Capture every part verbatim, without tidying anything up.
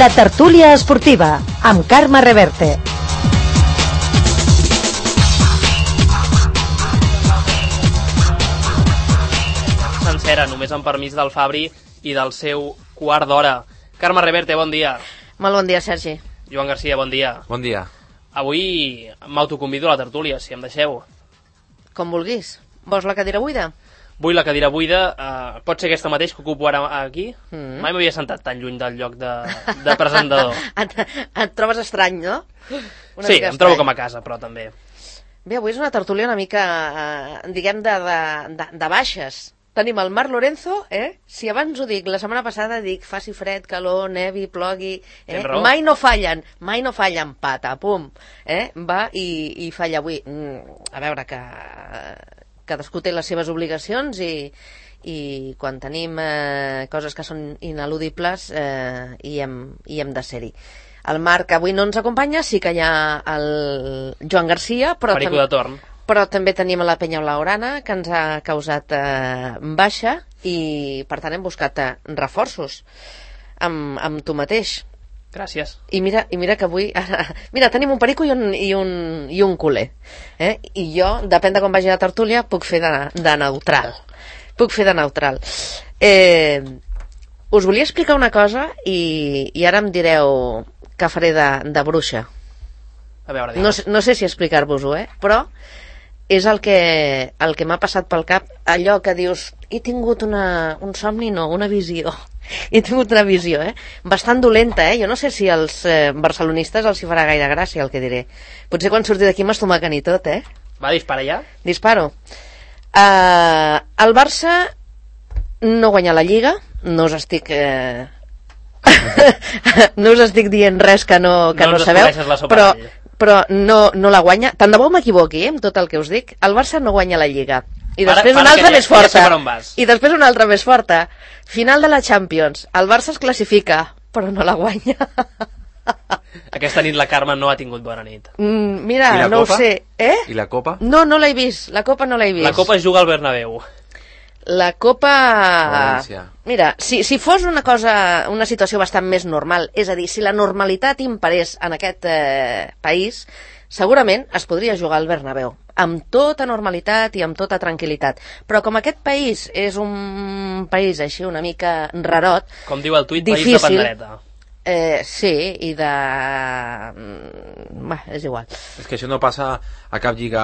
La tertúlia esportiva, amb Carme Reverte. Sencera, només amb permís del Fabri i del seu quart d'hora. Carme Reverte, bon dia. Molt bon dia, Sergi. Joan Garcia, bon dia. Bon dia. Avui m'autoconvido a la tertúlia, si em deixeu. Com vulguis. Vols la cadira buida? Vull la cadira buida, uh, pot ser aquesta mateix que ocupo ara aquí? Mm. Mai m'havia sentat tan lluny del lloc de, de presentador. et, et trobes estrany, no? Una sí, mica em trobo estrany. com a casa, però també. Bé, avui és una tertúlia una mica, eh, diguem, de, de, de, de baixes. Tenim el Marc Lorenzo, eh? Si abans ho dic, la setmana passada dic faci fred, calor, nevi, plogui... Eh? Mai no fallen, mai no fallen, pata, pum. Eh? Va i, i falla avui. Mm, a veure, que... cadascú té les seves obligacions i, i quan tenim eh, coses que són ineludibles eh, hi, hem, hi hem de ser-hi. El Marc avui no ens acompanya, sí que hi ha el Joan Garcia, però, Perico de torn. però també tenim la Penya Blaugrana, que ens ha causat eh, baixa, i per tant hem buscat eh, reforços amb, amb tu mateix. Gràcies. I mira, i mira que avui... Mira, tenim un perico i un, i un, i un culer. Eh? I jo, depèn de com vagi la tertúlia, puc fer de, de neutral. Puc fer de neutral. Eh, us volia explicar una cosa i, i ara em direu que faré de, de bruixa. A veure, no, no sé si explicar-vos-ho, eh? Però és el que, el que m'ha passat pel cap, allò que dius, he tingut una, un somni, no, una visió. He tingut una visió, eh? Bastant dolenta, eh? Jo no sé si als eh, barcelonistes els hi farà gaire gràcia el que diré. Potser quan surti d'aquí m'estomaquen i tot, eh? Va, dispara ja. Disparo. Uh, el Barça no guanya la Lliga, no us estic... Eh... no us estic dient res que no, que no, no sabeu, però, però no, no la guanya. Tant de bo m'equivoqui, eh, amb tot el que us dic. El Barça no guanya la Lliga. I després para, para una altra ja, més forta. Ja I després una altra més forta. Final de la Champions. El Barça es classifica, però no la guanya. Aquesta nit la Carme no ha tingut bona nit. Mm, mira, no Copa? ho sé. Eh? I la Copa? No, no l'he vist. La Copa no l'he vist. La Copa es juga al Bernabéu. La Copa... València. Mira, si, si fos una cosa, una situació bastant més normal, és a dir, si la normalitat imperés en aquest eh, país, segurament es podria jugar al Bernabéu, amb tota normalitat i amb tota tranquil·litat. Però com aquest país és un país així una mica rarot... Com diu el tuit, difícil, país de pandereta. Eh, sí, i de... Bah, és igual. És que això no passa a cap lliga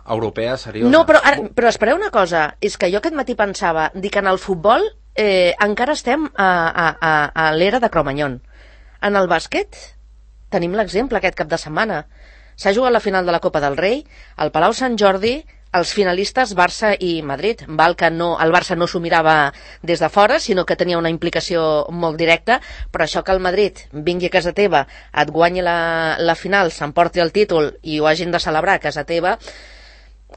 europea, seriosa. No, però, ara, però espereu una cosa, és que jo aquest matí pensava, dic, en el futbol eh, encara estem a, a, a, a l'era de Cromanyón. En el bàsquet tenim l'exemple aquest cap de setmana. S'ha jugat la final de la Copa del Rei, al Palau Sant Jordi, els finalistes Barça i Madrid. Val que no, el Barça no s'ho mirava des de fora, sinó que tenia una implicació molt directa, però això que el Madrid vingui a casa teva, et guanyi la, la final, s'emporti el títol i ho hagin de celebrar a casa teva,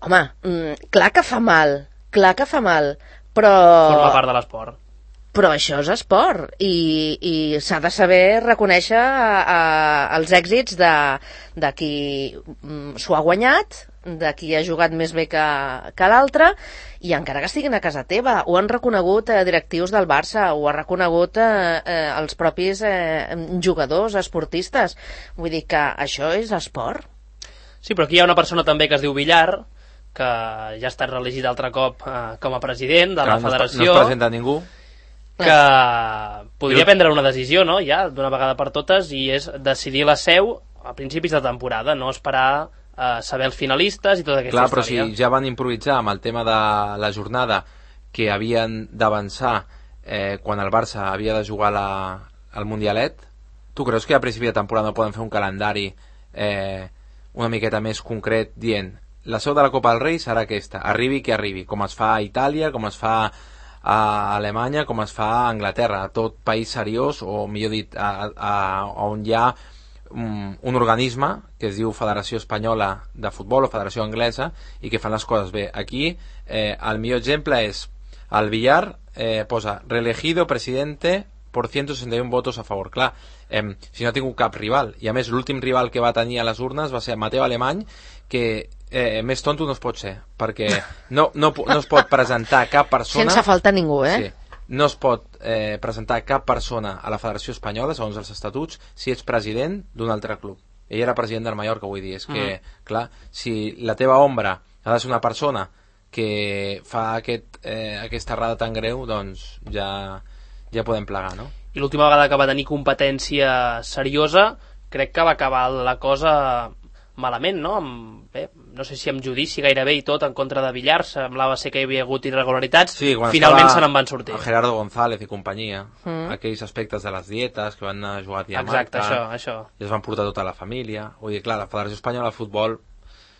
home, mm, clar que fa mal, clar que fa mal, però... Forma part de l'esport. Però això és esport i, i s'ha de saber reconèixer a, a, els èxits de, de qui s'ho ha guanyat, de qui ha jugat més bé que, que l'altre, i encara que estiguin a casa teva. Ho han reconegut eh, directius del Barça, ho ha reconegut eh, eh, els propis eh, jugadors, esportistes. Vull dir que això és esport. Sí, però aquí hi ha una persona també que es diu Villar, que ja ha estat reelegit altre cop eh, com a president de que la federació. No es presenta ningú. Que podria prendre una decisió, no?, ja, d'una vegada per totes, i és decidir la seu a principis de temporada, no esperar a saber els finalistes i tota aquesta Clar, història. però si ja van improvisar amb el tema de la jornada que havien d'avançar eh, quan el Barça havia de jugar la, el Mundialet, tu creus que a principi de temporada no poden fer un calendari eh, una miqueta més concret dient la seu de la Copa del Rei serà aquesta, arribi que arribi, com es fa a Itàlia, com es fa a Alemanya, com es fa a Anglaterra, a tot país seriós, o millor dit, a, a, a on hi ha un, un organisme que es diu Federació Espanyola de Futbol o Federació Anglesa i que fan les coses bé. Aquí eh, el millor exemple és el Villar, eh, posa reelegido presidente por ciento sesenta y uno votos a favor. Clar, eh, si no ha tingut cap rival, i a més l'últim rival que va tenir a les urnes va ser Mateu Alemany, que eh, més tonto no es pot ser, perquè no, no, no es pot presentar cap persona sense faltar ningú, eh? Sí. no es pot eh, presentar cap persona a la Federació Espanyola, segons els estatuts, si ets president d'un altre club. Ell era president del Mallorca, vull dir, és que, mm. clar, si la teva ombra ha de ser una persona que fa aquest, eh, aquesta errada tan greu, doncs ja, ja podem plegar, no? I l'última vegada que va tenir competència seriosa, crec que va acabar la cosa malament, no? Amb, bé, no sé si amb judici gairebé i tot en contra de Villar, semblava ser que hi havia hagut irregularitats, sí, finalment se n'en van sortir. Gerardo González i companyia, mm. aquells aspectes de les dietes que van anar a jugar a Dinamarca. Exacte, això, això. I es van portar tota la família. Vull dir, clar, la Federació Espanyola de Futbol,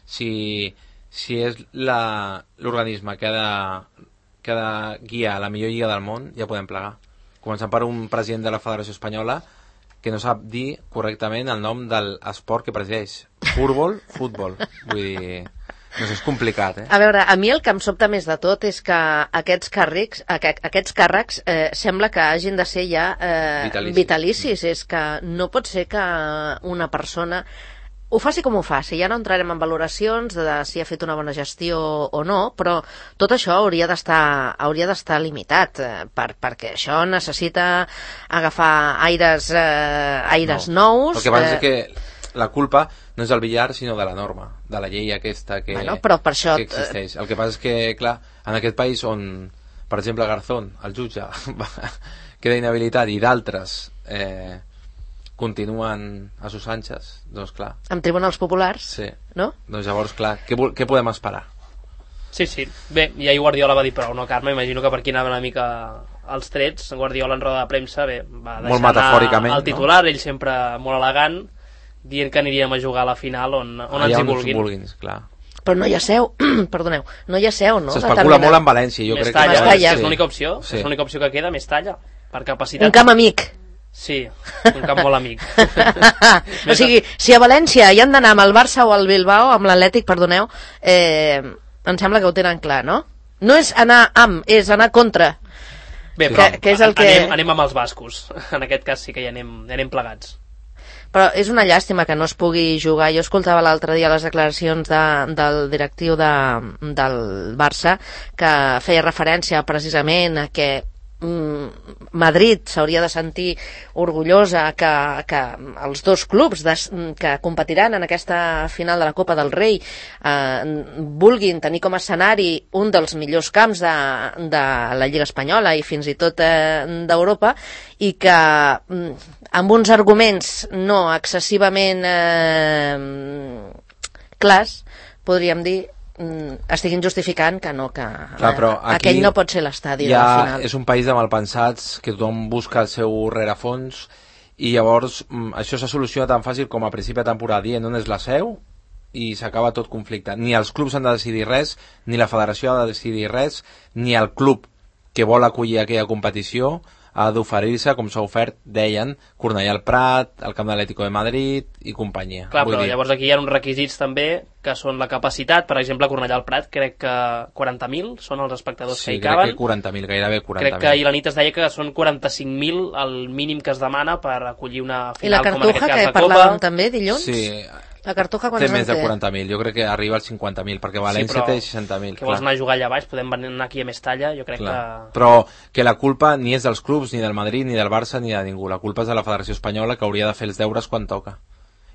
si, si és l'organisme que, ha de, que ha de guiar la millor lliga del món, ja podem plegar. Començant per un president de la Federació Espanyola que no sap dir correctament el nom de l'esport que presideix. Futbol, futbol. Vull dir, no sé, és complicat, eh? A veure, a mi el que em sobta més de tot és que aquests càrrecs, aquests càrrecs eh, sembla que hagin de ser ja eh, vitalicis. vitalicis. És que no pot ser que una persona ho faci com ho faci, ja no entrarem en valoracions de si ha fet una bona gestió o no, però tot això hauria d'estar hauria d'estar limitat, eh, per, perquè això necessita agafar aires, eh, aires no. nous. El que passa eh... és que la culpa no és del Villar, sinó de la norma, de la llei aquesta que, bueno, però per això... que existeix. El que passa és que, clar, en aquest país on, per exemple, Garzón, el jutge, queda inhabilitat i d'altres... Eh, continuen a sus anchas, doncs clar. Amb tribunals populars, sí. No? Doncs llavors, clar, què, què podem esperar? Sí, sí. Bé, i ahir Guardiola va dir prou, no, Carme? Imagino que per aquí anaven una mica els trets. Guardiola en roda de premsa, bé, va molt metafòricament, el titular, no? Ell sempre molt elegant, dient que aniríem a jugar a la final on, on ens hi vulguin. vulguin clar. Però no hi ha seu, perdoneu, no hi ha seu, no? S'especula molt en València, jo crec Mestalla, que... és, és l'única opció, sí. És l'única opció que queda, Mestalla, per capacitat. Un camp amic. Sí, un camp molt amic. O sigui, si a València hi han d'anar amb el Barça o el Bilbao, amb l'Atlètic, perdoneu, eh, em sembla que ho tenen clar, no? No és anar amb, és anar contra. Bé, però que, que és el que... anem, anem amb els bascos. En aquest cas sí que hi anem, hi anem plegats. Però és una llàstima que no es pugui jugar. Jo escoltava l'altre dia les declaracions de, del directiu de, del Barça, que feia referència precisament a que Madrid s'hauria de sentir orgullosa que, que els dos clubs des, que competiran en aquesta final de la Copa del Rei eh, vulguin tenir com a escenari un dels millors camps de, de la Lliga Espanyola i fins i tot eh, d'Europa, i que amb uns arguments no excessivament eh, clars, podríem dir, estiguin justificant que no, que clar, però aquell no pot ser l'estadi ja de la final. És un país de malpensats, que tothom busca el seu rerefons, i llavors això se soluciona tan fàcil com a principi de temporada dient on és la seu i s'acaba tot conflicte. Ni els clubs han de decidir res, ni la federació ha de decidir res, ni el club que vol acollir aquella competició ha d'oferir-se, com s'ha ofert, deien, Cornellà al Prat, el Camp de l'Atlético de Madrid i companyia. Clar, Vull però dir... llavors aquí hi ha uns requisits també, que són la capacitat. Per exemple, Cornellà al Prat, crec que quaranta mil són els espectadors sí, que hi caben. Sí, crec que quaranta mil, gairebé quaranta mil. Crec que ahir la nit es deia que són quaranta-cinc mil el mínim que es demana per acollir una final. I la Cartuja, que parlàvem també dilluns? Sí. La Cartuja té més de quaranta mil, jo crec que arriba als cinquanta mil, perquè València sí, té seixanta mil. Que vols anar a jugar allà baix, podem anar aquí a Mestalla, jo crec clar. que... Però que la culpa ni és dels clubs, ni del Madrid, ni del Barça, ni de ningú. La culpa és de la Federació Espanyola, que hauria de fer els deures quan toca.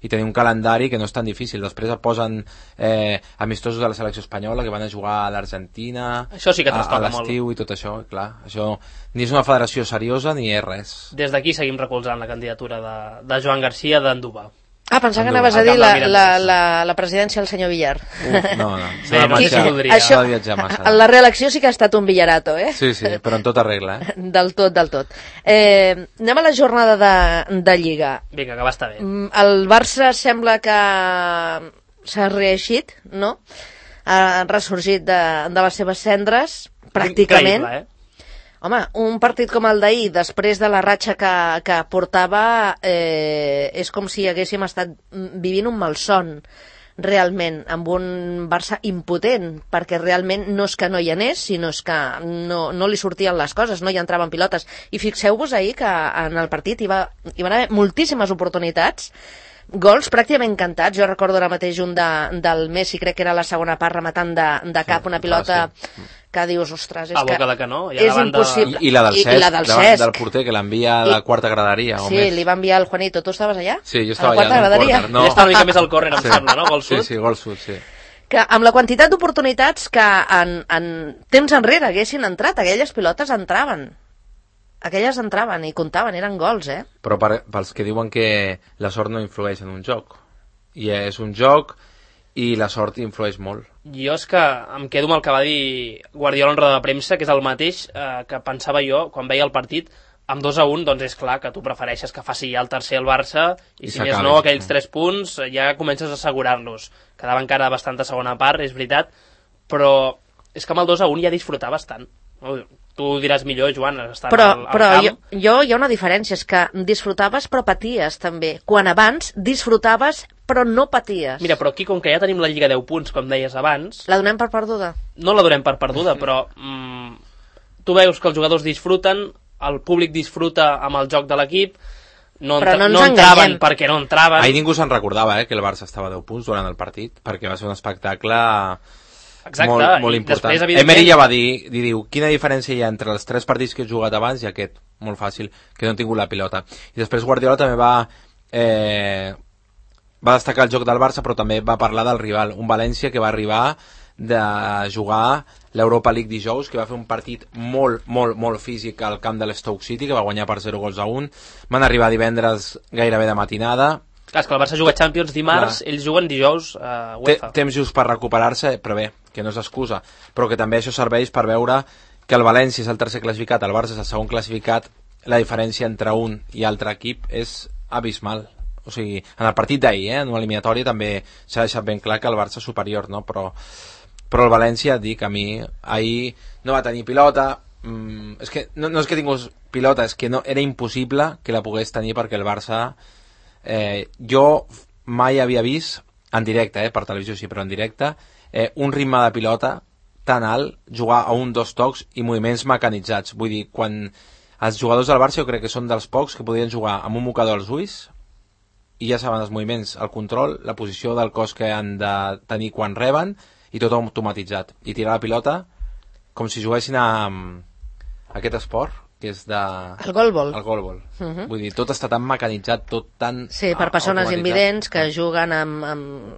I tenir un calendari que no és tan difícil. Després et posen eh, amistosos de la selecció espanyola que van a jugar a l'Argentina, això sí que a, a l'estiu i tot això. Clar, això ni és una federació seriosa ni és res. Des d'aquí seguim recolzant la candidatura de, de Joan Garcia d'Anduba. Ah, pensava que anaves a dir la, la, la, la presidència del senyor Villar. Uf, no, no. Sí, no, qui, qui això, la reelecció sí que ha estat un villarato, eh? Sí, sí, però en tota regla, eh? Del tot, del tot. Eh, anem a la jornada de, de Lliga. Vinga, que va estar bé. El Barça sembla que s'ha reeixit, no? Ha ressorgit de, de les seves cendres, pràcticament. Increïble, eh? Home, un partit com el d'ahir, després de la ratxa que, que portava, eh, és com si haguéssim estat vivint un malson, realment, amb un Barça impotent, perquè realment no és que no hi anés, sinó és que no, no li sortien les coses, no hi entraven pilotes. I fixeu-vos ahir que en el partit hi, va, hi van haver moltíssimes oportunitats, gols pràcticament cantats. Jo recordo ara mateix un de, del Messi, crec que era la segona part, rematant de, de cap una pilota que dius, ostres, és a boca que de canó, i és davant de- impossible. I, i la del I- Cesc, i la del davant Cesc. del porter, que l'envia a la I- quarta graderia. O Sí, més. li va enviar el Juanito. Tu estaves allà? Sí, jo A estava la quarta allà. en un graderia? córner. Ell està una mica més al córner, em Sí. sembla, no? Gol Sí, sud. sí, gol sud, sí. Que amb la quantitat d'oportunitats que en, en temps enrere haguessin entrat, aquelles pilotes entraven. Aquelles entraven i comptaven, eren gols, eh? Però per, pels que diuen que la sort no influeix en un joc. I és un joc i la sort influeix molt. Jo és que em quedo amb el que va dir Guardiola en roda de premsa, que és el mateix eh, que pensava jo quan veia el partit. Amb dos a un, doncs és clar que tu prefereixes que faci ja el tercer el Barça i, I si més s'acabi. no, aquells tres punts eh, ja comences a assegurar-los. Quedava encara bastanta segona part, és veritat, però és que amb el dos a un ja disfrutar bastant. No? Tu ho diràs millor, Joan, estant Però, al, al però camp. jo, jo hi ha una diferència, és que disfrutaves però paties també. Quan abans disfrutaves però no paties. Mira, però aquí, com que ja tenim la Lliga deu punts, com deies abans, La donem per perduda? no la donem per perduda, però mm, tu veus que els jugadors disfruten, el públic disfruta amb el joc de l'equip, no, Però no ens no entraven enganyem. perquè no entraven. Ahir ningú se'n recordava eh, que el Barça estava a deu punts durant el partit, perquè va ser un espectacle Exacte, molt, molt i important. després, evidentment- Emery ja va dir, dir, diu, quina diferència hi ha entre els tres partits que he jugat abans i aquest? Molt fàcil, que no he tingut la pilota. I després Guardiola també va... Eh, va destacar el joc del Barça, però també va parlar del rival, un València que va arribar de jugar l'Europa League dijous, que va fer un partit molt, molt, molt físic al camp de l'Stoke City, que va guanyar per zero gols a un. Van arribar divendres gairebé de matinada. Clar, és que el Barça juga Champions dimarts, Clar. ells juguen dijous a Té, UEFA. temps just per recuperar-se, però bé, que no és excusa, però que també això serveix per veure que el València és el tercer classificat, el Barça és el segon classificat, la diferència entre un i altre equip és abismal. O sigui, en el partit d'ahir, eh, en l'eliminatòria també s'ha deixat ben clar que el Barça és superior, no? Però, però el València, et dic, a mi ahir no va tenir pilota, mm, és que no, no és que tingués pilota, és que no, era impossible que la pogués tenir perquè el Barça eh, jo mai havia vist en directe, eh, per televisió sí, però en directe eh, un ritme de pilota tan alt, jugar a un, dos tocs i moviments mecanitzats. Vull dir, quan els jugadors del Barça jo crec que són dels pocs que podien jugar amb un mocador als ulls i ja saben els moviments, el control, la posició del cos que han de tenir quan reben i tot automatitzat. I tirar la pilota com si juguessin a, a aquest esport que és de... El golbol. El golbol. Uh -huh. Vull dir, tot està tan mecanitzat, tot tan... Sí, per persones automatitzat. invidents que juguen amb... amb...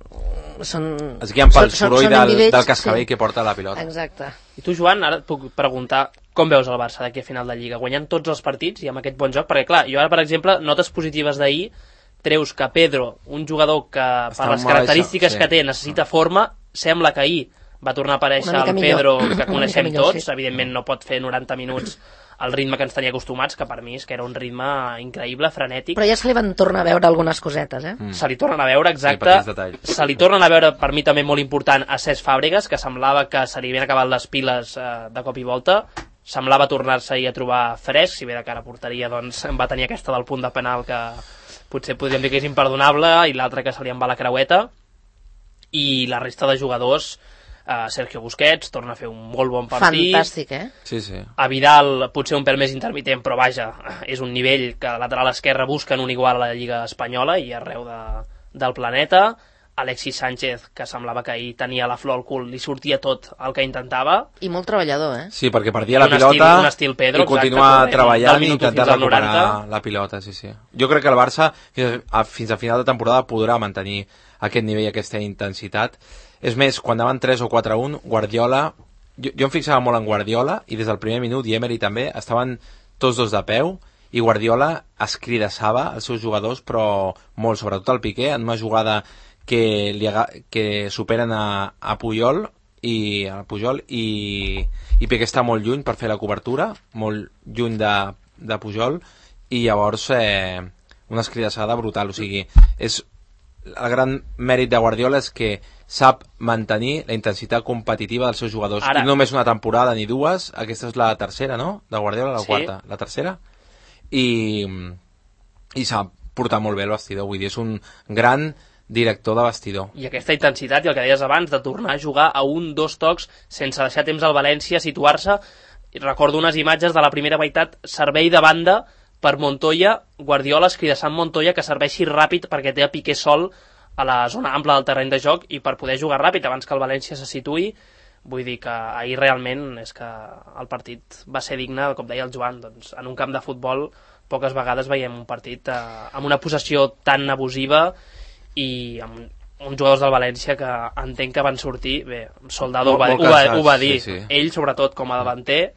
Són, Es guien pel són- són- soroll són del, invidents, del cascabell sí. que porta la pilota. Exacte. I tu, Joan, ara et puc preguntar com veus el Barça d'aquí a final de Lliga? Guanyant tots els partits i amb aquest bon joc? Perquè, clar, jo ara, per exemple, notes positives d'ahir, treus que Pedro, un jugador que Està per les molt característiques baixo, sí. que té necessita forma, sembla que ahir va tornar a aparèixer Una mica el millor. Pedro que Una coneixem mica millor, tots, sí. evidentment no pot fer noranta minuts al ritme que ens tenia acostumats, que per mi és que era un ritme increïble, frenètic. Però ja se li van tornar a veure algunes cosetes, eh? Mm. Se li tornen a veure, Sí, exacte. petits detalls. Se li tornen a veure, per mi també molt important, a Cesc Fàbregas, que semblava que se li havien acabat les piles eh, de cop i volta. Semblava tornar-se a trobar fresc, si bé de cara a porteria doncs va tenir aquesta del punt de penal que potser podríem dir que és imperdonable, i l'altra que se li en va la creueta. I la resta de jugadors, eh, Sergio Busquets torna a fer un molt bon partit. Fantàstic, eh? Sí, sí. A Vidal potser un pèl més intermitent, però vaja, és un nivell que a lateral esquerre busquen un igual a la Lliga Espanyola i arreu de, del planeta. Alexis Sánchez, que semblava que ahir tenia la flor al cul, li sortia tot el que intentava. I molt treballador, eh? Sí, perquè perdia la Un pilota estil- un estil Pedro, i continuar exacte, correcte, treballant del i minut intentar fins al recuperar noranta. la pilota, sí, sí. Jo crec que el Barça fins a, fins a final de temporada podrà mantenir aquest nivell, aquesta intensitat. És més, quan anaven tres o quatre a un, Guardiola, jo, jo em fixava molt en Guardiola i des del primer minut, i Emery també, estaven tots dos de peu i Guardiola escridassava els seus jugadors, però molt, sobretot el Piqué, en una jugada que, li aga, que superen a, a Puyol i a Pujol i, i Piqué està molt lluny per fer la cobertura, molt lluny de, de Pujol, i llavors eh, una escridassada brutal. O sigui, és el gran mèrit de Guardiola és que sap mantenir la intensitat competitiva dels seus jugadors. Ara. I no només una temporada ni dues, aquesta és la tercera, no?, de Guardiola, la Sí. quarta, la tercera, i, i sap portar molt bé el vestidor. Vull dir, és un gran director de vestidor. I aquesta intensitat, i el que deies abans, de tornar a jugar a un, dos tocs, sense deixar temps al València a situar-se. I recordo unes imatges de la primera meitat, servei de banda per Montoya, Guardiola escridassant Montoya que serveixi ràpid perquè té a Piqué sol a la zona ampla del terreny de joc i per poder jugar ràpid abans que el València se situï. Vull dir que ahir realment és que el partit va ser digne, com deia el Joan, doncs, en un camp de futbol poques vegades veiem un partit eh, amb una possessió tan abusiva i amb uns jugadors del València que entenc que van sortir, bé, Soldado ho va, ho va, ho va dir, sí, sí. Ell sobretot com a davanter,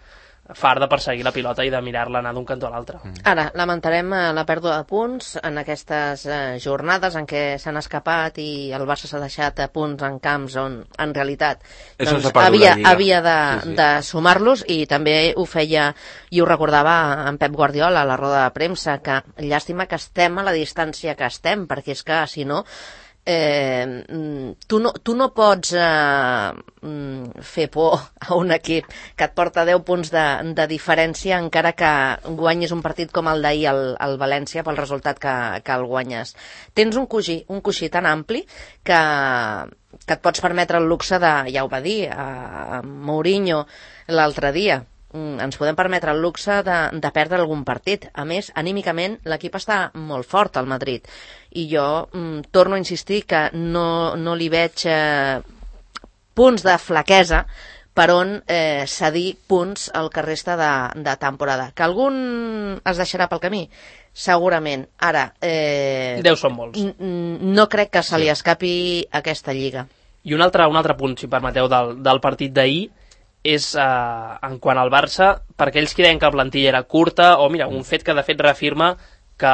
far de perseguir la pilota i de mirar-la anar d'un cantó a l'altre. Ara, lamentarem la pèrdua de punts en aquestes eh, jornades en què s'han escapat i el Barça s'ha deixat a punts en camps on, en realitat, doncs, havia, havia de, sí, sí. de sumar-los, i també ho feia i ho recordava en Pep Guardiola a la roda de premsa, que llàstima que estem a la distància que estem, perquè és que, si no, Eh, tu no, tu no pots eh, fer por a un equip que et porta deu punts de, de diferència encara que guanyis un partit com el d'ahir al, al València pel resultat que, que el guanyes. Tens un coixí, un coixí tan ampli que, que et pots permetre el luxe de, ja ho va dir a, a Mourinho l'altre dia, ens podem permetre el luxe de, de perdre algun partit. A més, anímicament, l'equip està molt fort al Madrid. I jo mm, torno a insistir que no, no li veig eh, punts de flaquesa per on eh, cedir punts al que resta de, de temporada. Que algun es deixarà pel camí? Segurament. Ara... Eh, Deu són molts. No crec que se li escapi aquesta lliga. I un altre, un altre punt, si permeteu, del, del partit d'ahir, és eh, en quant al Barça, per aquells que deien que la plantilla era curta, o mira, un fet que de fet reafirma que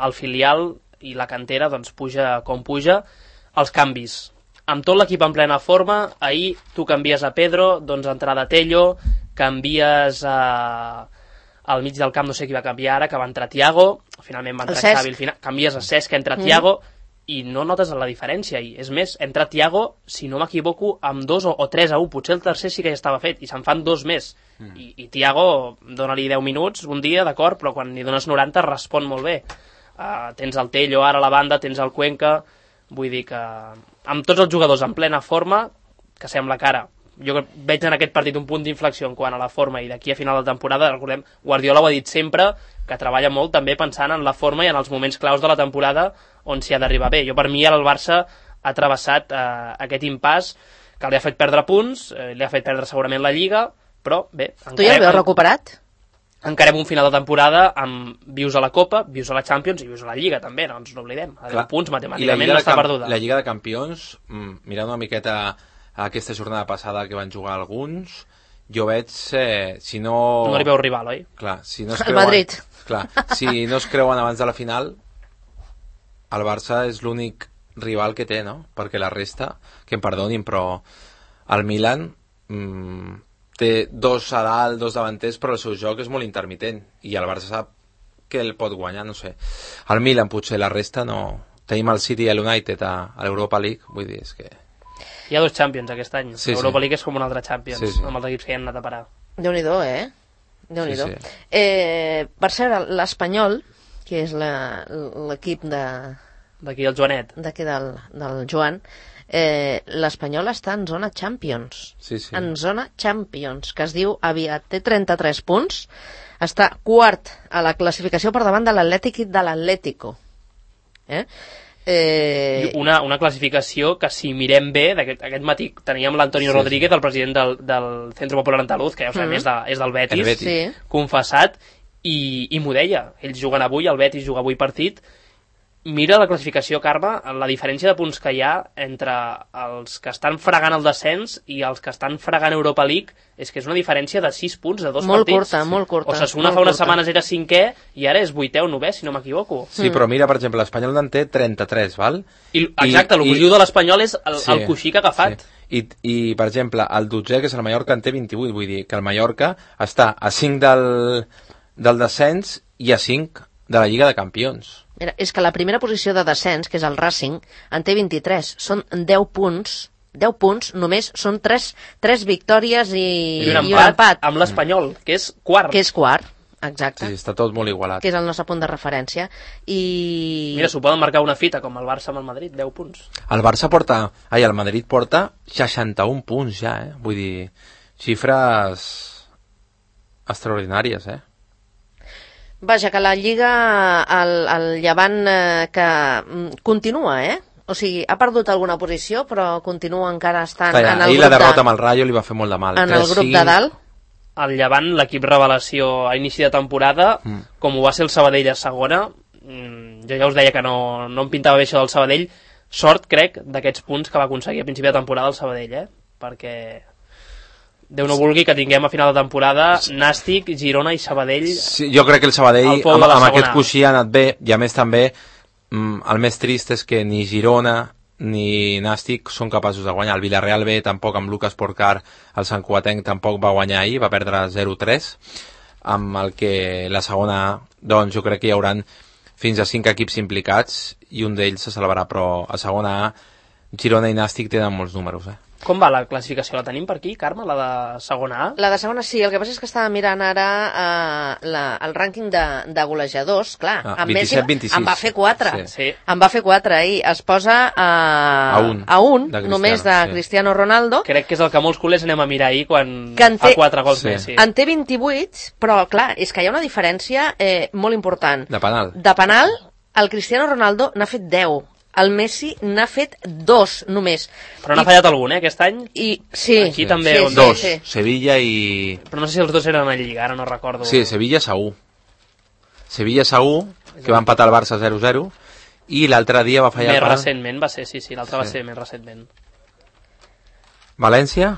el filial i la cantera doncs puja com puja, els canvis. Amb tot l'equip en plena forma, ahir tu canvies a Pedro, doncs entrada Tello, canvies a... al mig del camp, no sé qui va canviar ara, que va entrar Thiago, finalment va entrar Xavi, al final, canvies a Cesc, que entra mm. Thiago, i no notes la diferència. I és més, entra Thiago, si no m'equivoco, amb dos o, o tres a un, potser el tercer sí que ja estava fet, i se'n fan dos més. Mm. I, I Thiago, dona-li deu minuts un dia, d'acord, però quan li dones noranta respon molt bé. Uh, tens el Tello ara a la banda, tens el Cuenca, vull dir que amb tots els jugadors en plena forma, que sembla que ara, jo veig en aquest partit un punt d'inflexió en quant a la forma, i d'aquí a final de temporada, recordem, Guardiola ho ha dit sempre, que treballa molt també pensant en la forma i en els moments claus de la temporada on s'hi ha d'arribar bé. Jo, per mi, ara el Barça ha travessat eh, aquest impàs que li ha fet perdre punts, eh, li ha fet perdre segurament la Lliga, però bé... Tu ja el veus recuperat? Encarem un final de temporada amb vius a la Copa, vius a la Champions i vius a la Lliga també, no ens n'oblidem. A deu punts matemàticament no està perduda. La Lliga de Campions, mirant una miqueta a aquesta jornada passada que van jugar alguns, jo veig, eh, si no... No li veu rival, oi? Clar, si no es creuen... El Madrid. Clar, si no es creuen abans de la final, el Barça és l'únic rival que té, no? Perquè la resta, que em perdonin, però el Milan mmm, té dos a dalt, dos davanters, però el seu joc és molt intermitent, i el Barça sap que el pot guanyar, no sé. El Milan, potser, la resta no... Tenim el City i l'United a, a l'Europa League, vull dir, és que... Hi ha dos Champions aquest any. Sí, L'Europa sí. League és com un altre Champions, sí, sí. amb els equips que hi han anat a parar. Déu-n'hi-do, eh? Déu-n'hi-do. Sí, sí. Eh, per cert, l'Espanyol, que és l'equip de... D'aquí el Joanet. D'aquí del, del Joan, eh, l'Espanyol està en zona Champions. Sí, sí. En zona Champions, que es diu aviat. Té trenta-tres punts, està quart a la classificació per davant de l'Atlètic i de l'Atlético. Eh? Eh... Una, una classificació que, si mirem bé, aquest, aquest matí teníem l'Antonio sí, Rodríguez, sí. el president del, del Centro Popular Andaluz, que ja ho sabem, mm. és, de, és del Betis, Betis. Sí. confessat, i, i m'ho deia. Ells juguen avui, el Betis juga avui partit. Mira la classificació, Carme, la diferència de punts que hi ha entre els que estan fregant el descens i els que estan fregant Europa League, és que és una diferència de sis punts de dos molt partits. Curta, molt curta. Osasuna fa unes curta. setmanes era cinquè i ara és vuitè o novè, si no m'equivoco. Sí, mm. però mira, per exemple, l'Espanyol en té trenta-tres, val? I, exacte, I, el positiu de l'Espanyol és el, sí, el coixí que ha agafat. Sí. I, I, per exemple, el dotzè, que és el Mallorca, en té vint-i-vuit, vull dir que el Mallorca està a cinc del, del descens i a cinc de la Lliga de Campions. Mira, és que la primera posició de descens, que és el Racing, en té vint-i-tres. Són deu punts, deu punts, només són tres, tres victòries i, I, un, empat i un empat. Amb l'Espanyol, que és quart. Que és quart, exacte. Sí, està tot molt igualat. Que és el nostre punt de referència. I... Mira, s'ho poden marcar una fita, com el Barça amb el Madrid, deu punts. El Barça porta... Ai, el Madrid porta seixanta-un punts ja, eh? Vull dir, xifres extraordinàries, eh? Vaja, que la Lliga, el, el Llevant, eh, que mm, continua, eh? O sigui, ha perdut alguna posició, però continua encara estant Calla, en el ahir grup la derrota de... amb el Rayo li va fer molt de mal. En el grup de dalt. El Llevant, l'equip revelació a inici de temporada, mm. com ho va ser el Sabadell a segona, jo ja us deia que no, no em pintava bé això del Sabadell. Sort, crec, d'aquests punts que va aconseguir a principi de temporada el Sabadell, eh? Perquè Déu no vulgui que tinguem a final de temporada Nàstic, Girona i Sabadell. Sí, jo crec que el Sabadell amb, amb aquest coixí ha anat bé, i a més també mm, el més trist és que ni Girona ni Nàstic són capaços de guanyar. El Villarreal B tampoc, amb Lucas Porcar, el Sant Cugatenc tampoc va guanyar ahir, va perdre zero tres, amb el que la segona A, doncs jo crec que hi hauran fins a cinc equips implicats i un d'ells se salvarà, però a segona A Girona i Nàstic tenen molts números, eh? Com va la classificació? La tenim per aquí, Carme, la de segona A? La de segona sí, el que passa és que estava mirant ara eh, la, el rànquing de, de golejadors, clar, ah, amb vint-i-set vint-i-sis. en va fer quatre, sí. Sí. en va fer quatre ahir, es posa eh, a un, a un de només de sí. Cristiano Ronaldo. Crec que és el que molts culers anem a mirar ahir quan té, fa quatre gols sí. més. Sí. En té vint-i-vuit, però clar, és que hi ha una diferència eh, molt important. De penal. De penal, el Cristiano Ronaldo n'ha fet deu. El Messi n'ha fet dos, només. Però n'ha fallat algun, eh, aquest any? I, sí. Aquí també. Sí, on... sí, dos, sí. Sevilla i... Però no sé si els dos eren a Lliga, ara no recordo. Sí, Sevilla segur. Sevilla segur, que va empatar el Barça zero zero, i l'altre dia va fallar... Més per... recentment va ser, sí, sí, l'altre sí. va ser més recentment. València?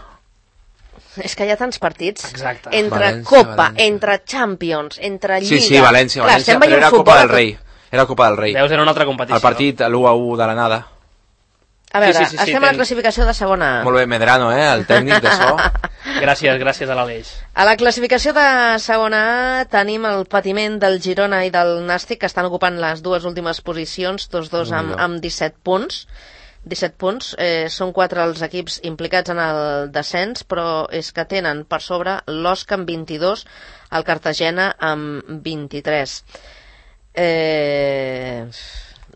És que hi ha tants partits. Exacte. Entre València, Copa, València. entre Champions, entre Lliga... Sí, sí, València, Clar, València, però era Copa del Rei. Era Copa del Rei. Veus, era una altra competició. El partit, l'u a u de l'anada. A veure, sí, sí, sí, estem sí, a la ten... classificació de segona A. Molt bé, Medrano, eh, el tècnic de so. Gràcies, gràcies a l'Aleix. A la classificació de segona A tenim el patiment del Girona i del Nàstic, que estan ocupant les dues últimes posicions, tots dos amb, amb disset punts. disset punts, eh, són quatre els equips implicats en el descens, però és que tenen per sobre l'Osca amb vint-i-dos, el Cartagena amb vint-i-tres. Eh,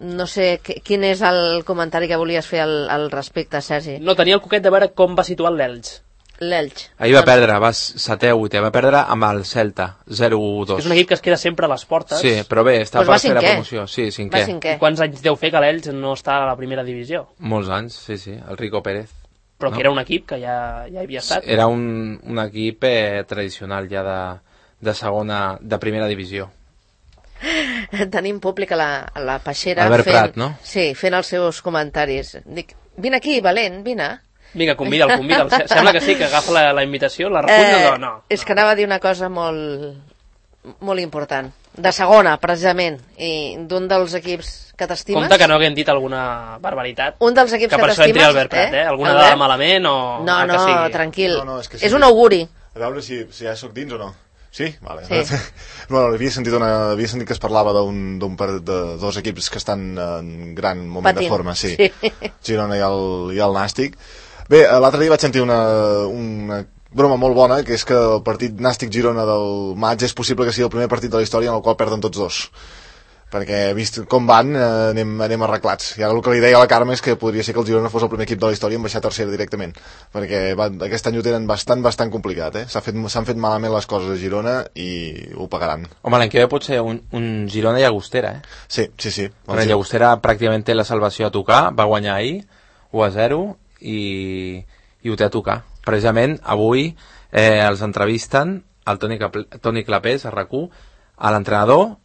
no sé quin és el comentari que volies fer al, al respecte, Sergi. No, tenia el coquet de veure com va situar l'Elx. L'Elx. Ahir va perdre, va setè o vuitè, va perdre amb el Celta, zero dos. És un equip que es queda sempre a les portes. Sí, però bé, està pues per fer la cinquè. promoció. Sí, Va cinquè. cinquè. I quants anys deu fer que l'Elx no està a la primera divisió? Molts anys, sí, sí, el Rico Pérez. Però No. que era un equip que ja, ja havia estat. Era un, un equip eh, tradicional ja de, de segona, de primera divisió. Tenim públic a la, a la peixera Albert fent, Prat, no? Sí, fent els seus comentaris. Dic, vine aquí, valent, vine. Vinga, convida'l, convida'l. Se- Sembla que sí, que agafa la, la invitació, la recull o no? És que anava a dir una cosa molt, molt important. De segona, precisament, i d'un dels equips que t'estimes. Compte que no haguem dit alguna barbaritat. Un dels equips que que, per això entri t'estimes, Albert Prat, eh? Alguna Albert? dada malament o... No, el que no, sigui. tranquil. No, no, és que sí. És un auguri. A veure si, si ja sóc dins o no. Sí? Vale. Sí. Bueno, havia sentit, una, havia sentit que es parlava d'un d'un par de dos equips que estan en gran moment Patint. de forma, sí. Sí. Girona i el, i el Nàstic. Bé, l'altre dia vaig sentir una, una broma molt bona, que és que el partit Nàstic-Girona del maig és possible que sigui el primer partit de la història en el qual perden tots dos. Perquè, vist com van, eh, anem, anem arreglats. I ara el que li deia a la Carme és que podria ser que el Girona fos el primer equip de la història en baixar a tercera directament. Perquè va, aquest any ho tenen bastant, bastant complicat, eh? S'ha fet, s'han fet malament les coses a Girona i ho pagaran. Home, l'any que ve pot ser un, un Girona Llagostera, eh? Sí, sí, sí. Bueno, Llagostera pràcticament té la salvació a tocar, va guanyar ahir, u a zero, i, i ho té a tocar. Precisament, avui eh, els entrevisten el Toni, Capl Toni Clapés, a RAC u, a l'entrenador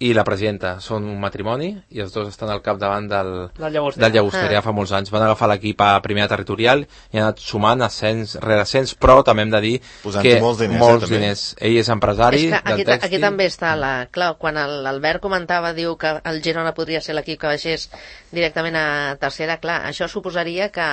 i la presidenta. Són un matrimoni i els dos estan al capdavant del, Del Llagostera. del Llagostera, ja fa molts anys. Van agafar l'equip a primera territorial i han anat sumant ascens rere ascens, però també hem de dir Posant-hi que molts diners, molts eh, també. diners. Ell és empresari És que aquí, del ta- tèxtil. aquí també està la... Clar, quan el- l'Albert comentava, diu que el Girona podria ser l'equip que baixés directament a tercera, clar, això suposaria que...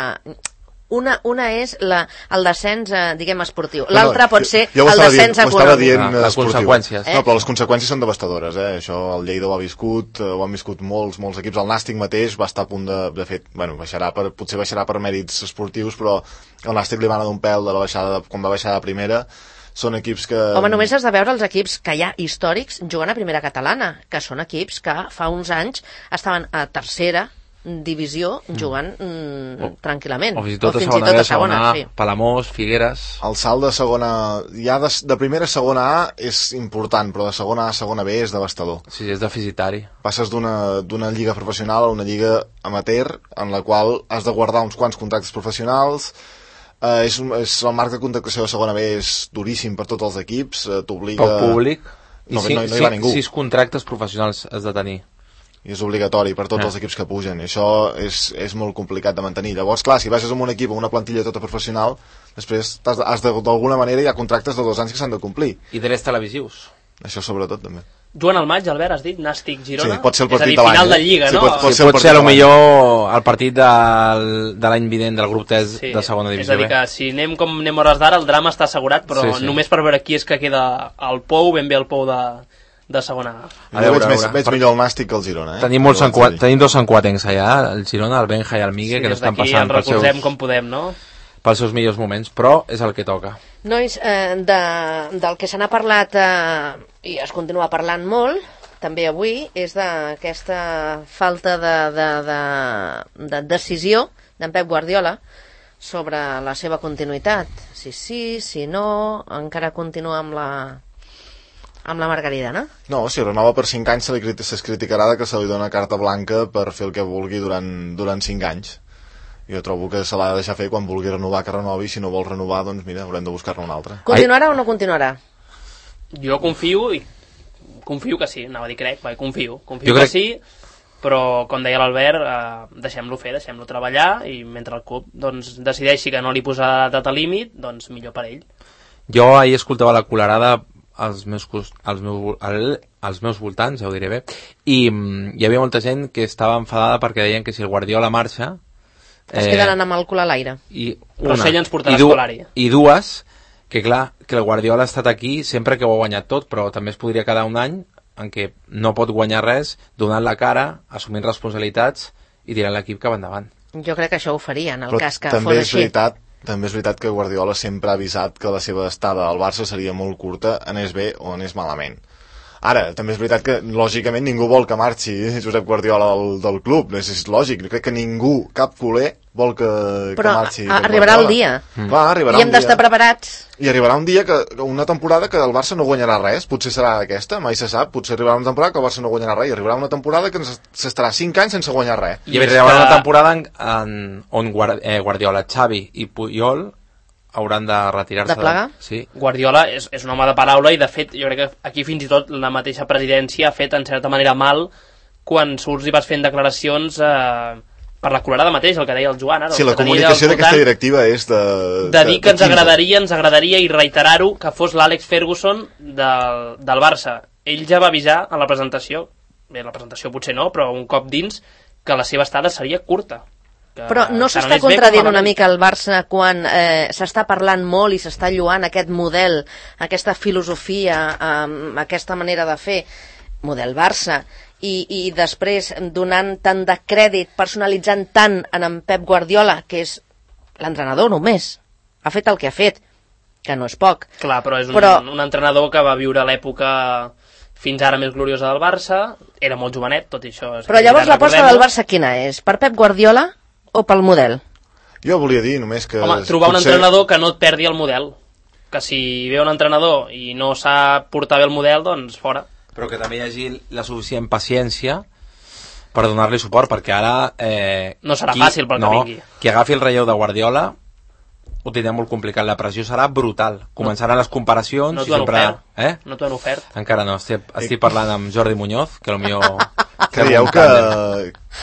Una, una és la, el descens, eh, diguem, esportiu. L'altra No, no, pot ser jo, jo ho el estava descens dient, ho estava econòmic. dient Ah, les esportiu. conseqüències. No, però les conseqüències són devastadores, eh? Això el Lleida ho ha viscut, eh, ho han viscut molts, molts equips. El Nàstic mateix va estar a punt de, de fet, bueno, baixarà per, potser baixarà per mèrits esportius, però el Nàstic li va anar d'un pèl de la baixada, de, quan va baixar a primera. Són equips que... Home, només has de veure els equips que hi ha històrics jugant a primera catalana, que són equips que fa uns anys estaven a tercera, divisió jugant mm, o, tranquil·lament. O fins i tot, o a fins segona, i tot a a segona, segona sí. Palamós, Figueres... El salt de segona... Ja de, de primera a segona A és important, però de segona A a segona B és devastador. Sí, és deficitari. Passes d'una d'una lliga professional a una lliga amateur, en la qual has de guardar uns quants contractes professionals. Eh, és, és el marc de contractació de segona B és duríssim per tots els equips, eh, t'obliga... Pel públic. No, I no, no hi va ningú. Sis contractes professionals has de tenir. I és obligatori per tots Ah. els equips que pugen, i això és, és molt complicat de mantenir. Llavors, clar, si baixes amb un equip amb una plantilla tota professional, després has de, has de, d'alguna manera hi ha contractes de dos anys que s'han de complir. I drets televisius. Això sobretot també. Joan al maig, Albert, has dit? Nàstic Girona? Sí, pot ser el És a partit dir, de l'any, final eh? de Lliga, Sí, no? pot- pot Sí, ser el pot partit ser de a lo l'any. millor el partit del, de l'any vinent del grup tres Sí, de segona divisió. és a dir, B. que si anem com anem hores d'ara, el drama està assegurat, però Sí, sí. només per veure qui és que queda al Pou, ben bé al Pou de, de segona A. A A veure, veig, a més, veure. veig Per- millor el Nàstic que el Girona, eh? Tenim, molts Ho haig de sanqua... dir. Tenim dos sanquatencs allà, el Girona, el Benja i el Migue, Sí, que no des estan d'aquí passant ens pels recolzem seus, com podem, no? pels seus millors moments, però és el que toca. Nois, eh, de, del que se n'ha parlat eh, i es continua parlant molt, també avui, és d'aquesta falta de, de, de, de decisió d'en Pep Guardiola sobre la seva continuïtat. Si sí, si no, encara continua amb la, amb la Margarida, no? No, si renova per cinc anys se li criti- es criticarà de que se li dona carta blanca per fer el que vulgui durant, durant cinc anys. Jo trobo que se l'ha de deixar fer quan vulgui renovar, que renovi, si no vol renovar, doncs mira, haurem de buscar-ne un altre. Continuarà o no continuarà? Jo confio i confio que sí, anava a dir crec, vai, confio, confio Jo que crec- sí, però com deia l'Albert, eh, deixem-lo fer, deixem-lo treballar i mentre el club doncs, decideixi que no li posa data límit, doncs millor per ell. Jo ahir escoltava la colerada als meus, cos- als meus, al, als meus voltants, ja ho diré bé, i mm, hi havia molta gent que estava enfadada perquè deien que si el Guardiola marxa... Es quedaran amb el cul a l'aire. I Però una, Sella ens portarà i du- Scolari. I dues, que clar, que el Guardiola ha estat aquí sempre que ho ha guanyat tot, però també es podria quedar un any en què no pot guanyar res, donant la cara, assumint responsabilitats i tirant l'equip cap endavant. Jo crec que això ho faria, en el Però cas que també fos és així. veritat, també és veritat que Guardiola sempre ha avisat que la seva estada al Barça seria molt curta, anés bé o anés malament. Ara, també és veritat que, lògicament, ningú vol que marxi Josep Guardiola del, del club, és, és lògic, jo crec que ningú, cap culer, vol que, Però que marxi a- Pep arribarà el Guardiola. dia. Mm. Clar, arribarà I hem un d'estar dia. preparats. I arribarà un dia, que una temporada que el Barça no guanyarà res, potser serà aquesta, mai se sap, potser arribarà una temporada que el Barça no guanyarà res, i arribarà una temporada que ens- s'estarà cinc anys sense guanyar res. I, I és arribarà que- una temporada en, en, on Guard, eh, Guardiola, Xavi i Puyol hauran de retirar-se. De plegar? Sí. Guardiola és, és un home de paraula i de fet jo crec que aquí fins i tot la mateixa presidència ha fet en certa manera mal quan surts i vas fent declaracions eh, per la colerada mateix, el que deia el Joan ara, Sí, el la que tenia comunicació al d'aquesta voltant, directiva és de... de dir que ens quinze. agradaria, ens agradaria i reiterar-ho que fos l'Àlex Ferguson del, del Barça. Ell ja va avisar a la presentació, bé, la presentació potser no, però un cop dins, que la seva estada seria curta. Que Però no tant s'està anés bé com contradient una malament. mica el Barça quan eh, s'està parlant molt i s'està lluant aquest model, aquesta filosofia, eh, aquesta manera de fer, model Barça, i, i després donant tant de crèdit, personalitzant tant en en Pep Guardiola, que és l'entrenador només, ha fet el que ha fet, que no és poc. Clar, però és un, Però- un entrenador que va viure l'època fins ara més gloriosa del Barça, era molt jovenet, tot i això. És Però que llavors ja l'aposta recordem-ho. del Barça quina és? Per Pep Guardiola o pel model? Jo volia dir només que... Home, trobar un potser- entrenador que no et perdi el model. Que si ve un entrenador i no sap portar bé el model, doncs fora. Però que també hi hagi la suficient paciència per donar-li suport, perquè ara... Eh, No serà fàcil pel que no, vingui. Qui agafi el relleu de Guardiola ho tindrà molt complicat, la pressió serà brutal. Començaran les comparacions No i t'ho han sempre... ofert. Eh? No t'ho han ofert. Encara no, estic, estic parlant amb Jordi Muñoz, que potser... Creieu que,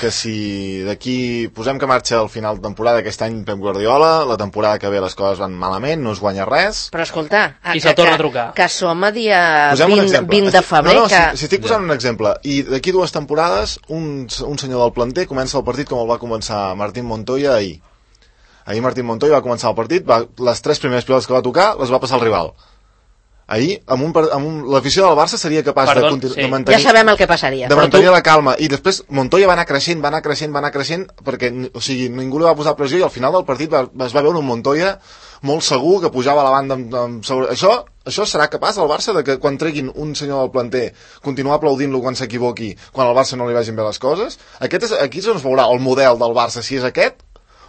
que si d'aquí posem que marxa al final de temporada aquest any Pep Guardiola, la temporada que ve les coses van malament, no es guanya res... Però escolta, I que, se'l torna que, a trucar. que som a dia Posem un vint, exemple. vint de Estic- febrer, no, no, que... si, si estic posant un exemple, i d'aquí dues temporades un, un senyor del planter comença el partit com el va començar Martín Montoya ahir. Ahir Martín Montoya va començar el partit, va, les tres primeres pilotes que va tocar les va passar el rival. ahir, amb un, amb un, l'afició del Barça seria capaç Perdó, de, continu- sí. de mantenir... Ja sabem el que passaria. de Però mantenir tu... la calma, i després Montoya va anar creixent, va anar creixent, va anar creixent, perquè, o sigui, ningú li va posar pressió, i al final del partit va, es va veure un Montoya molt segur, que pujava a la banda amb, amb sobre... Això, això serà capaç el Barça, de que quan treguin un senyor del planter, continuar aplaudint-lo quan s'equivoqui, quan al Barça no li vagin bé les coses? Aquest és, aquí és on es veurà el model del Barça, si és aquest,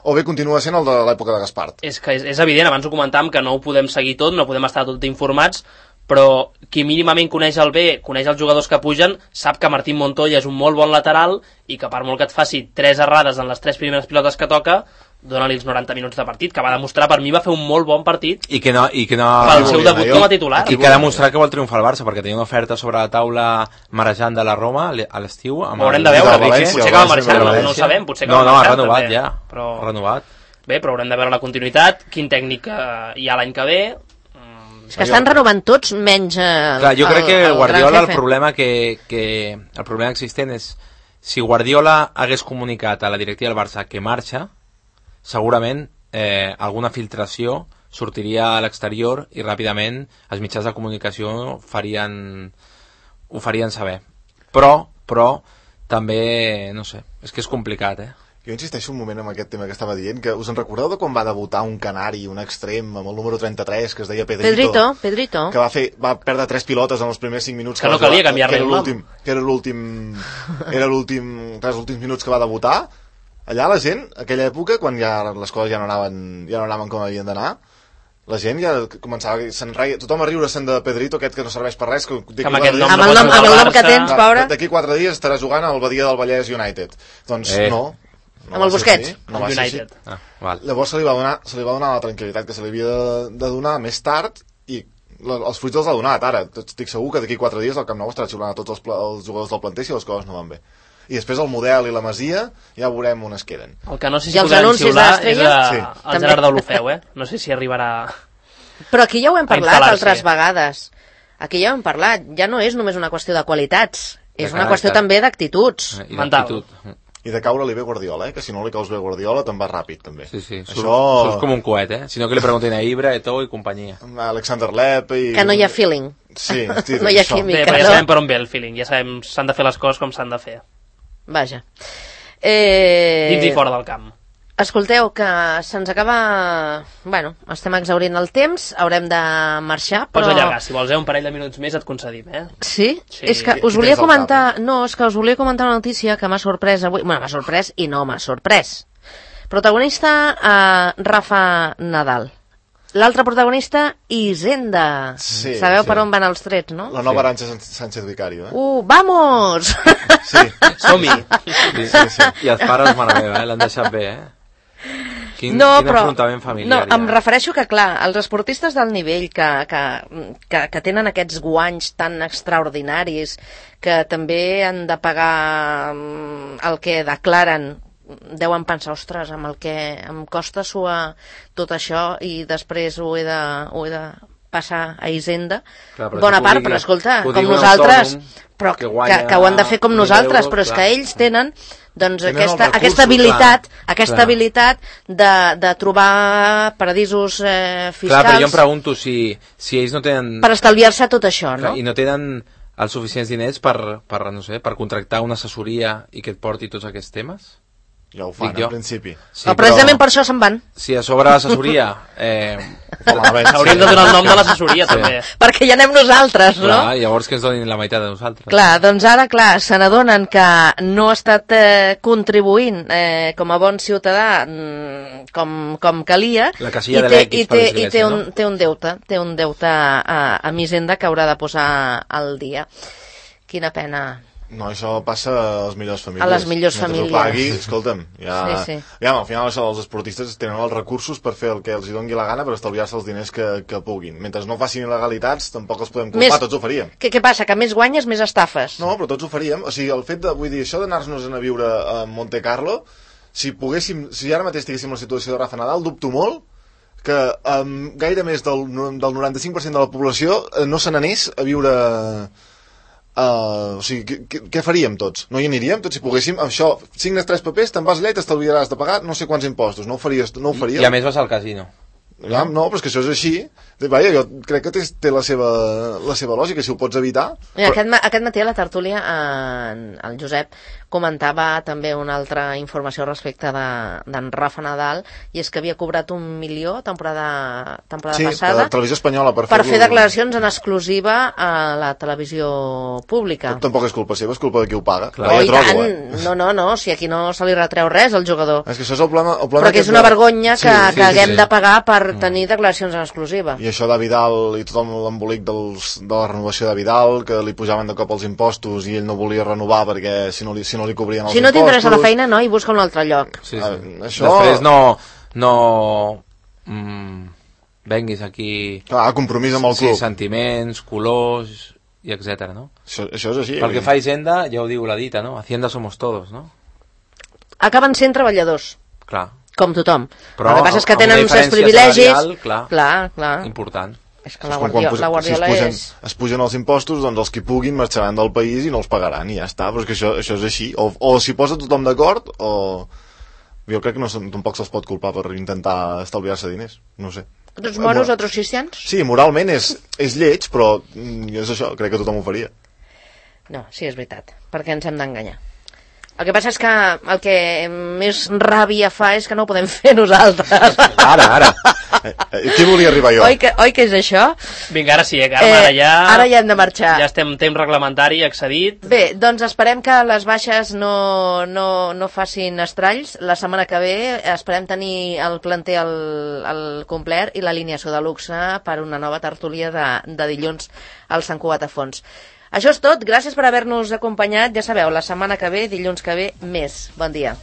o bé continua sent el de l'època de Gaspart. És que és, és evident, abans ho comentàvem, que no ho podem seguir tot, no podem estar tot informats, però qui mínimament coneix el bé, coneix els jugadors que pugen, sap que Martín Montoya és un molt bon lateral i que per molt que et faci tres errades en les tres primeres pilotes que toca, dona-li els noranta minuts de partit, que va demostrar, per mi va fer un molt bon partit I que no... I que no pel seu debut com a titular. I que ha demostrat que vol triomfar el Barça, perquè tenia una oferta sobre la taula marejant de la Roma a l'estiu. Ho haurem de veure, potser que va marxar, no, no ho sabem, potser que no, va no, marxar. ha renovat també, ja, però... ha renovat. Bé, però haurem de veure la continuïtat, quin tècnic eh, hi ha l'any que ve. És que estan renovant tots menys el, Clar, jo crec que el, el Guardiola, el gran problema que, que el problema existent és si Guardiola hagués comunicat a la directiva del Barça que marxa, segurament eh, alguna filtració sortiria a l'exterior i ràpidament els mitjans de comunicació farien, ho farien saber. Però, però també, no sé, és que és complicat, eh? Jo insisteixo un moment en aquest tema que estava dient, que us en recordeu de quan va debutar un canari, un extrem, amb el número trenta-tres, que es deia Pedrito? Pedrito, Pedrito. Que va, fer, va perdre tres pilotes en els primers cinc minuts. Que no calia canviar-li el nom. Que era l'últim... Era l'últim... Els últims minuts que va debutar. Allà la gent, aquella època, quan ja les coses ja no anaven, ja no anaven com havien d'anar, la gent ja començava... Se'n reia, tothom a riure-se'n de Pedrito, aquest que no serveix per res. Que, que amb aquest nom amb no el pots nom, anar amb al el nom que Barça. tens, pobre. D'aquí quatre dies estarà jugant al Badia del Vallès United. Doncs Eh. no. No Amb el va ser Busquets. així, no va ser així. United. Ah, val. Llavors se li va donar, se li va donar la tranquil·litat que se li havia de, de donar més tard i la, els fruits els ha donat ara. Estic segur que d'aquí quatre dies el Camp Nou estarà xiulant a tots els, pla, els jugadors del planter si les coses no van bé. I després el model i la Masia ja veurem on es queden. El que no sé I si els podran anuncis xiular és d'Estrella? a, Sí. el També. Gerard Deulofeu, eh? No sé si arribarà... Però aquí ja ho hem A parlat instal·lar-se. altres vegades. Aquí ja ho hem parlat. Ja no és només una qüestió de qualitats. De És una caràcter. qüestió també d'actituds. I Mental. d'actitud. I de caure-li bé Guardiola, eh? Que si no li caus bé Guardiola te'n vas ràpid, també. Sí, sí, surt, Això... surt com un coet, eh? Si no que li preguntin a Ibra, Eto'o i companyia. Alexander Lepp i... Que no hi ha feeling. Sí, sí, No hi ha això. química. Bé, però ja no? sabem per on ve el feeling, ja sabem s'han de fer les coses com s'han de fer. Vaja. Eh... Dins i fora del camp. Escolteu, que se'ns acaba... Bueno, estem exhaurint el temps, haurem de marxar, Pots però... allargar, si vols, eh, un parell de minuts més et concedim, eh? Sí? Sí. És que Qui- us qui volia tens al comentar... cap, No, és que us volia comentar una notícia que m'ha sorprès avui. Bueno, m'ha sorprès i no m'ha sorprès. Protagonista, eh, Rafa Nadal. L'altre protagonista, Hisenda. Sí, Sabeu sí. per on van els trets, no? La nova Arantxa Sánchez Vicario, eh? Uh, vamos! Sí, Som-hi! sí, sí, sí. I els pares, mare meva, eh? L'han deixat bé, eh? Quin, no, quin però, afrontament no, familiar. em refereixo que, clar, els esportistes del nivell que, que, que, que tenen aquests guanys tan extraordinaris, que també han de pagar mm, el que declaren, deuen pensar, ostres, amb el que em costa suar tot això i després ho he de, ho he de passar a Hisenda. Clar, però Bona si ho part, digui- però escolta, ho com digui un nosaltres, autònom però que que, guanya que ho han de fer com mil nosaltres, euros, però és clar. que ells tenen doncs Tenen aquesta, els aquesta recursos, habilitat, clar, aquesta clar. habilitat de, de trobar paradisos eh, Clar, fiscals però jo em pregunto si, si ells no tenen... per estalviar-se tot això, Clar, no? i no tenen els suficients diners per, per, no sé, per contractar una assessoria i que et porti tots aquests temes? Ja ho fan, Dic jo. en principi. Sí, Però precisament per això se'n van, Si a sobre l'assessoria... Eh, Fa malament, sí. Hauríem de donar el nom de l'assessoria, també. perquè ja anem nosaltres, no? clar, llavors que ens donin la meitat de nosaltres. Clar, doncs ara, clar, se n'adonen que no ha estat eh, contribuint eh, com a bon ciutadà mm, com, com calia La casilla i de té, l'X i per té, i l'església, té, un, no? té un deute, té un deute a, a Hisenda que haurà de posar al dia. Quina pena. No, això passa a les millors famílies. A les millors Mentre famílies. ho pagui, escolta'm, ja... Sí, sí. Ja, al final això, els esportistes tenen els recursos per fer el que els hi doni la gana per estalviar-se els diners que, que puguin. Mentre no facin il·legalitats, tampoc els podem culpar, Més- tots ho faríem. Què, què passa? Que més guanyes, més estafes. No, però tots ho faríem. O sigui, el fet de, vull dir, això d'anar-nos a viure a Monte Carlo, si poguéssim, si ara mateix estiguéssim en la situació de Rafa Nadal, dubto molt que um, gaire més del, del noranta-cinc per cent de la població eh, no se n'anés a viure... Uh, o sigui, què, què faríem tots? No hi aniríem tots si poguéssim? Això, signes tres papers, te'n vas allà i t'estalviaràs de pagar no sé quants impostos. No ho faries? No ho faríem? I a més vas al casino. Ja, no, però és que això és així. Vaja, jo crec que té, té la, seva, la seva lògica, si ho pots evitar. Mira, aquest, ma aquest matí a la tertúlia eh, el Josep comentava també una altra informació respecte d'en de, Rafa Nadal, i és que havia cobrat un milió temporada, temporada sí, passada per televisió espanyola per, per fer declaracions en exclusiva a la televisió pública. Tampoc és culpa seva, és culpa de qui ho paga. Clar. Oh, i tant, eh? no, no, no, si aquí no se li retreu res al jugador. És que això és el problema, el problema però que és una vergonya que, sí, sí, que haguem sí, sí. de pagar per tenir declaracions en exclusiva. I això de Vidal i tot l'embolic dels, de la renovació de Vidal, que li pujaven de cop els impostos i ell no volia renovar perquè si no li, si no li cobrien els si no impostos... Si no t'interessa la feina, no, i busca un altre lloc. Sí, sí. Ah, això... Després no... no mm, venguis aquí... Ah, compromís amb el club. Sí, sentiments, colors i etcètera, no? Això, això és així. Pel que fa a Hisenda, ja ho diu la dita, no? Hacienda somos todos, no? Acaben sent treballadors. Clar. Com tothom. Però el que passa és que tenen uns privilegis... Salarial, clar, clar, clar. important. És que la, guardia, la Guardiola si es pugen, és... es pugen els impostos, doncs els que puguin marxaran del país i no els pagaran i ja està, però és que això, això és així. O, o s'hi posa tothom d'acord o... Jo crec que no, tampoc se'ls pot culpar per intentar estalviar-se diners, no sé. Dos moros, otros cristians? Sí, moralment és, és lleig, però és això, crec que tothom ho faria. No, sí, és veritat, perquè ens hem d'enganyar. El que passa és que el que més ràbia fa és que no ho podem fer nosaltres. Ara, ara. Aquí volia arribar jo. Oi que, oi que és això? Vinga, ara sí, eh, Carme, eh, ara ja... Ara ja hem de marxar. Ja estem en temps reglamentari accedit. Bé, doncs esperem que les baixes no, no, no facin estralls. La setmana que ve esperem tenir el planter al, al complet i l'alineació de luxe per una nova tertúlia de, de dilluns al Sant Cugat a Fons. Això és tot, gràcies per haver-nos acompanyat. Ja sabeu, la setmana que ve, dilluns que ve, més. Bon dia.